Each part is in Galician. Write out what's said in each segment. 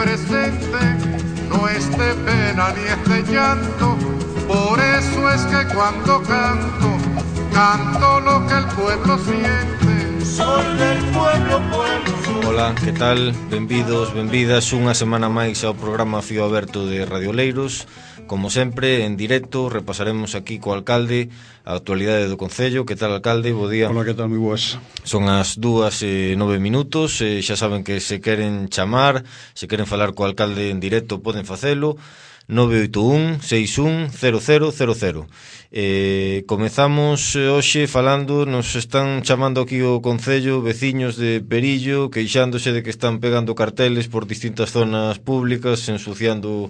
presente, no es de pena ni es de llanto. Por eso es que cuando canto, canto lo que el pueblo siente. Soy del pueblo, pueblo. Ola, que tal? Benvidos, benvidas unha semana máis ao programa Fío Aberto de Radio Oleiros. Como sempre, en directo, repasaremos aquí co alcalde a actualidade do Concello. Que tal, alcalde? Bo día. Ola, que tal? Moi boas. Son as 2:09. Xa saben que se queren chamar, se queren falar co alcalde en directo, poden facelo. 981 61 0000. Comezamos hoxe falando, nos están chamando aquí o Concello veciños de Perillo, queixándose de que están pegando carteles por distintas zonas públicas, ensuciando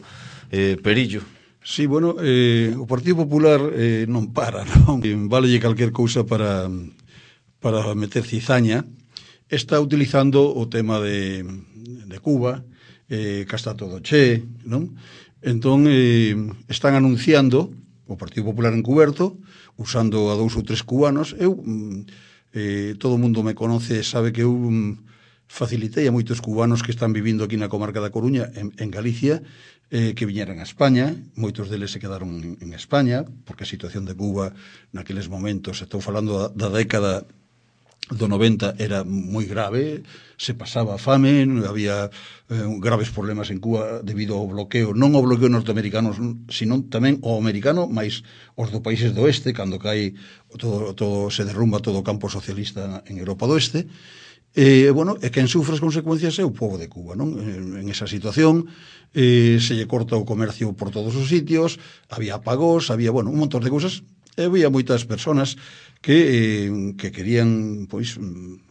Perillo. Sí, bueno, o Partido Popular non para, non? Válelle calquer cousa para meter cizaña. Está utilizando o tema de Cuba, que está todo che, non? Entón, están anunciando o Partido Popular encuberto, usando a 2 ou 3 cubanos. Todo o mundo me conoce, sabe que eu facilitei a moitos cubanos que están vivindo aquí na comarca da Coruña, en Galicia, que viñeran a España. Moitos deles se quedaron en España, porque a situación de Cuba naqueles momentos, estou falando da década do 90, era moi grave, se pasaba fame, había graves problemas en Cuba debido ao bloqueo, non ao bloqueo norteamericano, sino tamén ao americano, máis os do países do oeste, cando cae todo se derrumba todo o campo socialista en Europa do Oeste. Bueno, e quen sufre as consecuencias é o povo de Cuba, non? En esa situación se lle corta o comercio por todos os sitios, había apagós, había, bueno, un montón de cousas, e había moitas personas que querían, pois,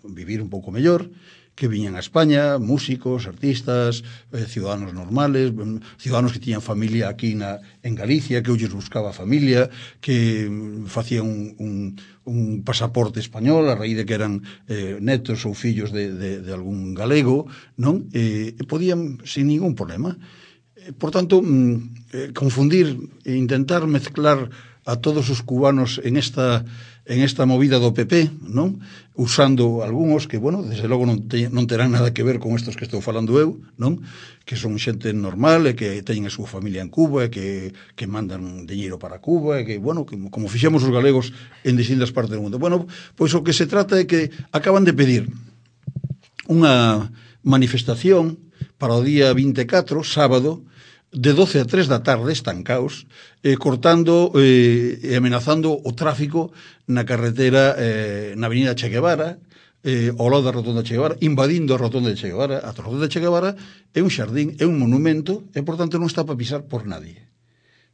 vivir un pouco mellor, que viñan a España, músicos, artistas, ciudadanos normales, ciudadanos que tiñan familia aquí en Galicia, que olles buscaba familia, que facían un pasaporte español a raíz de que eran netos ou fillos de algún galego, non? E podían sin ningún problema. Por tanto, confundir e intentar mezclar a todos os cubanos en esta movida do PP, non? Usando algúns que, bueno, desde logo non terán nada que ver con estos que estou falando eu, non? Que son xente normal e que teñen a súa familia en Cuba e que mandan diñeiro para Cuba e que, bueno, que, como fixemos os galegos en distintas partes do mundo. Bueno, pois o que se trata é que acaban de pedir unha manifestación para o día 24, sábado, de 12 a 3 da tarde, estancaos, cortando e amenazando o tráfico na carretera, na avenida Che Guevara, ao lado da rotonda Che Guevara, invadindo a rotonda de Che Guevara. A rotonda de Che Guevara é un xardín, é un monumento, e, por tanto, non está para pisar por nadie.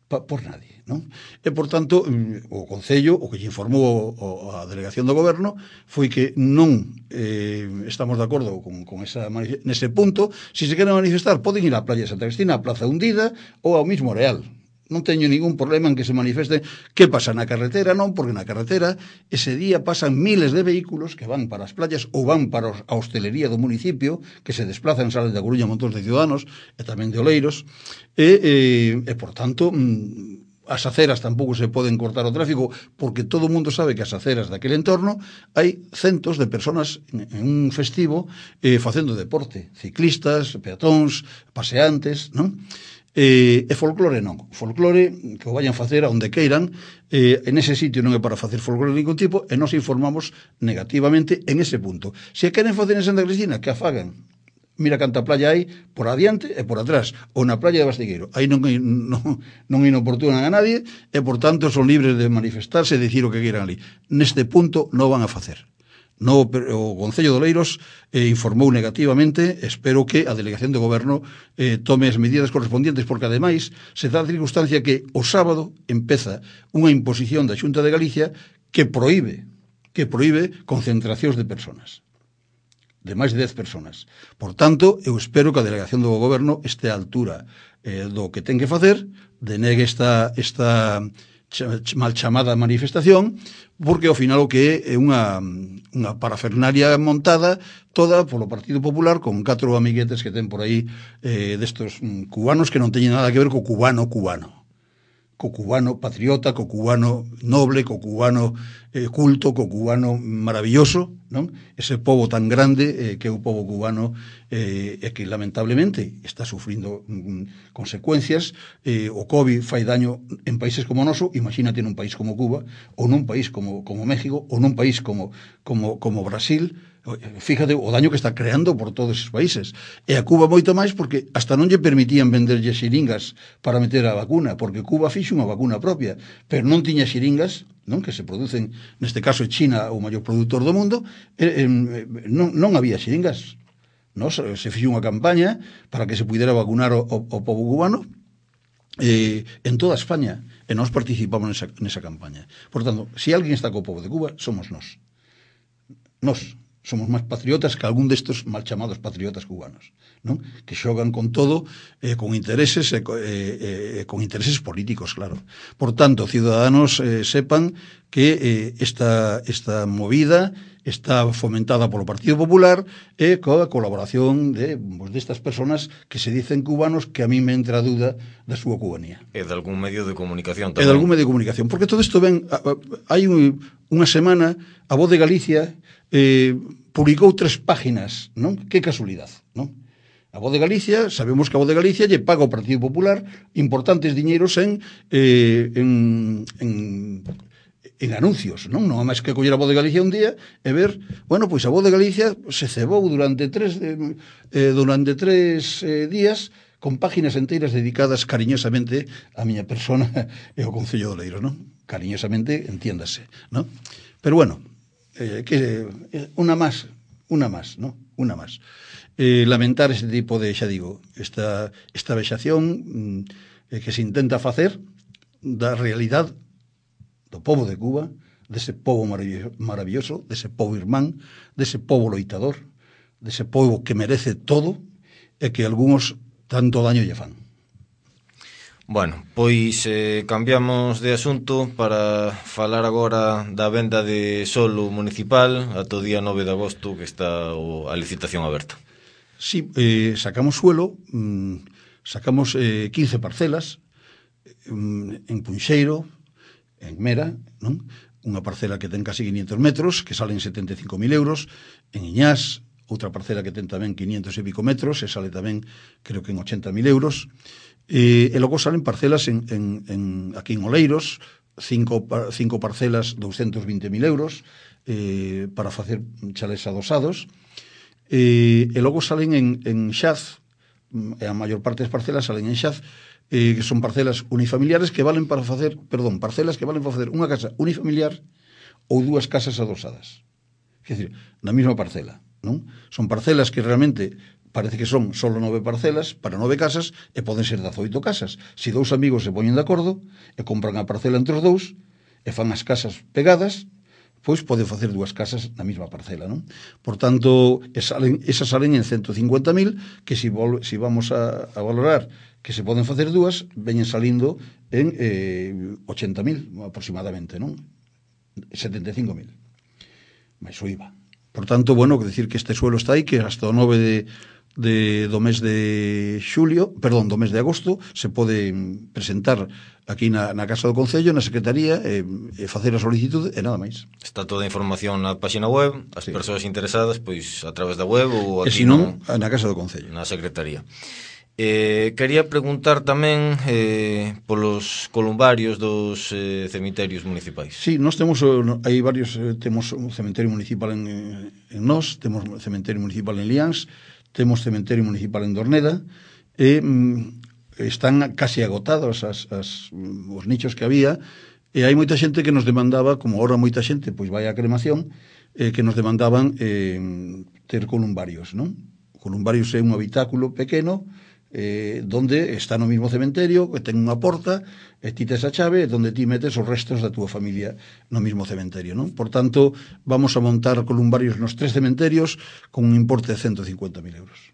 Por nadie, non? E, por tanto, o Concello, o que lle informou a Delegación do Goberno, foi que non estamos de acordo con nese punto. Se se queren manifestar, poden ir á Playa de Santa Cristina, á Plaza Hundida ou ao mismo Areal. Non teño ningún problema en que se manifesten. Que pasa na carretera? Non, porque na carretera ese día pasan miles de vehículos que van para as playas ou van para a hostelería do municipio, que se desplazan, salen da Coruña montón de ciudadanos e tamén de Oleiros, e por tanto as aceras tampouco se poden cortar o tráfico, porque todo o mundo sabe que as aceras daquele entorno hai centos de personas en un festivo facendo deporte, ciclistas, peatóns, paseantes, non? E folclore non. Folclore que o vayan facer a onde queiran, en ese sitio non é para facer folclore de ningún tipo, e nos informamos negativamente en ese punto. Se queren facer en Santa Cristina, que a fagan. Mira canta playa hai por adiante e por atrás, ou na playa de Bastigueiro. Aí non inoportunan a nadie, e por tanto son libres de manifestarse e dicir o que queiran ali. Neste punto non van a facer. No, o Concello de Oleiros informou negativamente. Espero que a Delegación do Goberno tome as medidas correspondientes, porque ademais se dá a circunstancia que o sábado empeza unha imposición da Xunta de Galicia que proíbe concentracións de personas, de máis de 10 personas. Por tanto, eu espero que a Delegación do Goberno este á altura do que ten que facer, denegue esta mal chamada manifestación, porque ao final o que é unha parafernalia montada toda polo Partido Popular, con 4 amiguetes que ten por aí destos cubanos que non teñen nada que ver co cubano. co cubano patriota, co cubano noble, co cubano culto, co cubano maravilloso, non? Ese pobo tan grande que é o pobo cubano e que lamentablemente está sufrindo consecuencias. O COVID fai daño en países como o noso, imagínate nun país como Cuba, ou nun país como México, ou nun país como Brasil. Fíjate o daño que está creando por todos esos países. E a Cuba moito máis porque hasta non lle permitían venderlle xiringas para meter a vacuna, porque Cuba fixo unha vacuna propia, pero non tiña xiringas, non, que se producen, neste caso China, o maior produtor do mundo, non había xiringas. Se fixo unha campaña para que se pudera vacunar o pobo cubano en toda España, e nós participamos nesa campaña. Por tanto, se alguén está co pobo de Cuba, somos nós. Nós somos máis patriotas que algún destes mal chamados patriotas cubanos, non? Que xogan con todo, con intereses con intereses políticos, claro. Por tanto, ciudadanos sepan que esta movida está fomentada polo Partido Popular e coa colaboración destas personas que se dicen cubanos, que a mí me entra a duda da súa cubanía. E de algún medio de comunicación tamén. E de algún medio de comunicación, porque todo isto ven, hai unha semana a Voz de Galicia publicou 3 páginas, non? Que casualidade, non? A Voz de Galicia, sabemos que a Voz de Galicia lle paga ao Partido Popular importantes diñeiros en anuncios, non? Non é máis que coller a Voz de Galicia un día e ver, bueno, pois a Voz de Galicia se cebou durante 3 días con páginas enteiras dedicadas cariñosamente a miña persona e ao Concello de Oleiros, non? Cariñosamente, entiéndase, non? Pero bueno, una más, ¿no? Una más. Lamentar este tipo de, xa digo, esta vexación que se intenta facer da realidade do pobo de Cuba, dese pobo maravilloso, dese pobo irmán, dese pobo loitador, dese pobo que merece todo e que algúns tanto daño lle fan. Bueno, pois cambiamos de asunto para falar agora da venda de solo municipal ata o día 9 de agosto, que está a licitación aberta. Sí, sacamos suelo, sacamos 15 parcelas en Punxeiro, en Mera, non? Unha parcela que ten casi 500 metros, que salen 75.000 euros, en Iñás, outra parcela que ten tamén 500 e pico metros, e sale tamén, creo que en 80.000 euros, e logo salen parcelas aquí en Oleiros, 5 parcelas 220.000 euros para facer chalés adosados, e logo salen en Xaz, a maior parte das parcelas salen en Xaz, que son parcelas unifamiliares que valen para facer, parcelas que valen para facer unha casa unifamiliar ou 2 casas adosadas. Quer dizer, na mesma parcela, non? Son parcelas que realmente parece que son solo 9 parcelas para 9 casas e poden ser 18 casas. Se 2 amigos se poñen de acordo e compran a parcela entre os 2 e fan as casas pegadas, pois poden facer 2 casas na mesma parcela, non? Por tanto, esas salen en 150.000, que se vamos a valorar que se poden facer 2, veñen salindo en 80.000 aproximadamente, non? 75.000 máis o IVA. Por tanto, bueno, que decir que este suelo está aí, que hasta o 9 do mes de do mes de agosto se pode presentar aquí na Casa do Concello, na Secretaría, e facer a solicitude e nada máis. Está toda a información na página web, as persoas interesadas, pois a través da web ou aquí na Casa do Concello, na Secretaría. Quería preguntar tamén polos columbarios dos cemiterios municipais. Sí, nós temos, hai varios, temos un cementerio municipal en Nós, temos un cementerio municipal en Liáns, temos cementerio municipal en Dorneda, e están casi agotados os nichos que había, e hai moita xente que nos demandaba, como ahora moita xente pois vai á cremación, que nos demandaban ter columbarios, non? Columbarios é un habitáculo pequeno, donde está no mismo cementerio, que ten unha porta, e ti tes a chave, donde ti metes os restos da túa familia no mismo cementerio, non? Por tanto, vamos a montar columbarios nos 3 cementerios con un importe de 150.000 euros.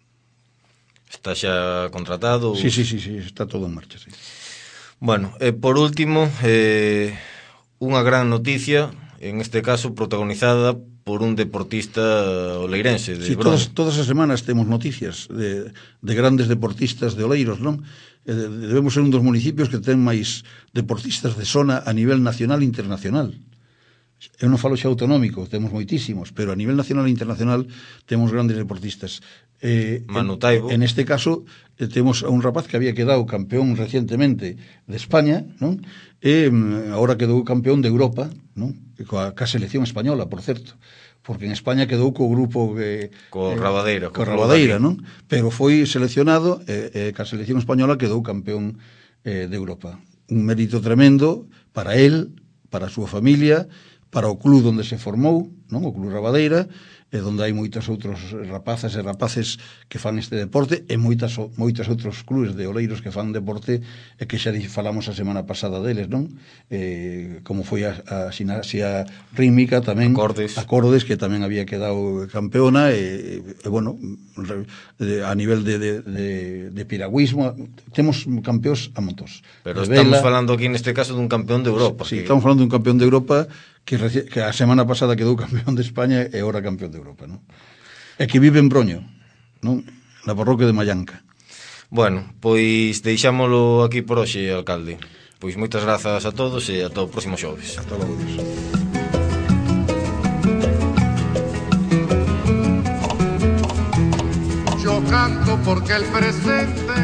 Está xa contratado? Sí, está todo en marcha, sí. Bueno, por último, unha gran noticia, en este caso protagonizada por un deportista oleirense de Sí, todas as semanas temos noticias de grandes deportistas de Oleiros, non? Debemos ser un dos municipios que ten máis deportistas de zona a nivel nacional e internacional. Eu non falo xa autonómico, temos moitísimos, pero a nivel nacional e internacional temos grandes deportistas. Manu Taibo. En este caso, temos a un rapaz que había quedado campeón recientemente de España, non? E agora quedou campeón de Europa, non? Ca selección española, por certo, porque en España quedou co grupo co Rabadeira, non? Pero foi seleccionado ca selección española quedou campeón de Europa. Un mérito tremendo para él, para a súa familia, para o club onde se formou, non? O Club Rabadeira, onde hai moitos outros rapazas e rapaces que fan este deporte e moitos outros clubes de oleiros que fan deporte e que xa falamos a semana pasada deles, non? Como foi a Ximnasia Rítmica tamén, Acordes, que tamén había quedado campeona e bueno, a nivel de piragüismo temos campeóns a montos. Pero estamos falando aquí neste caso dun campeón de Europa. Sí, estamos falando dun campeón de Europa que a semana pasada quedou campeón de España e agora campeón de Europa, non? E que vive en Broño, non? Na parroquia de Mallanca. Bueno, pois deixámolo aquí por hoxe, alcalde. Pois moitas grazas a todos e ata o próximo xoves. Hasta logo, Dios. Yo canto porque el presente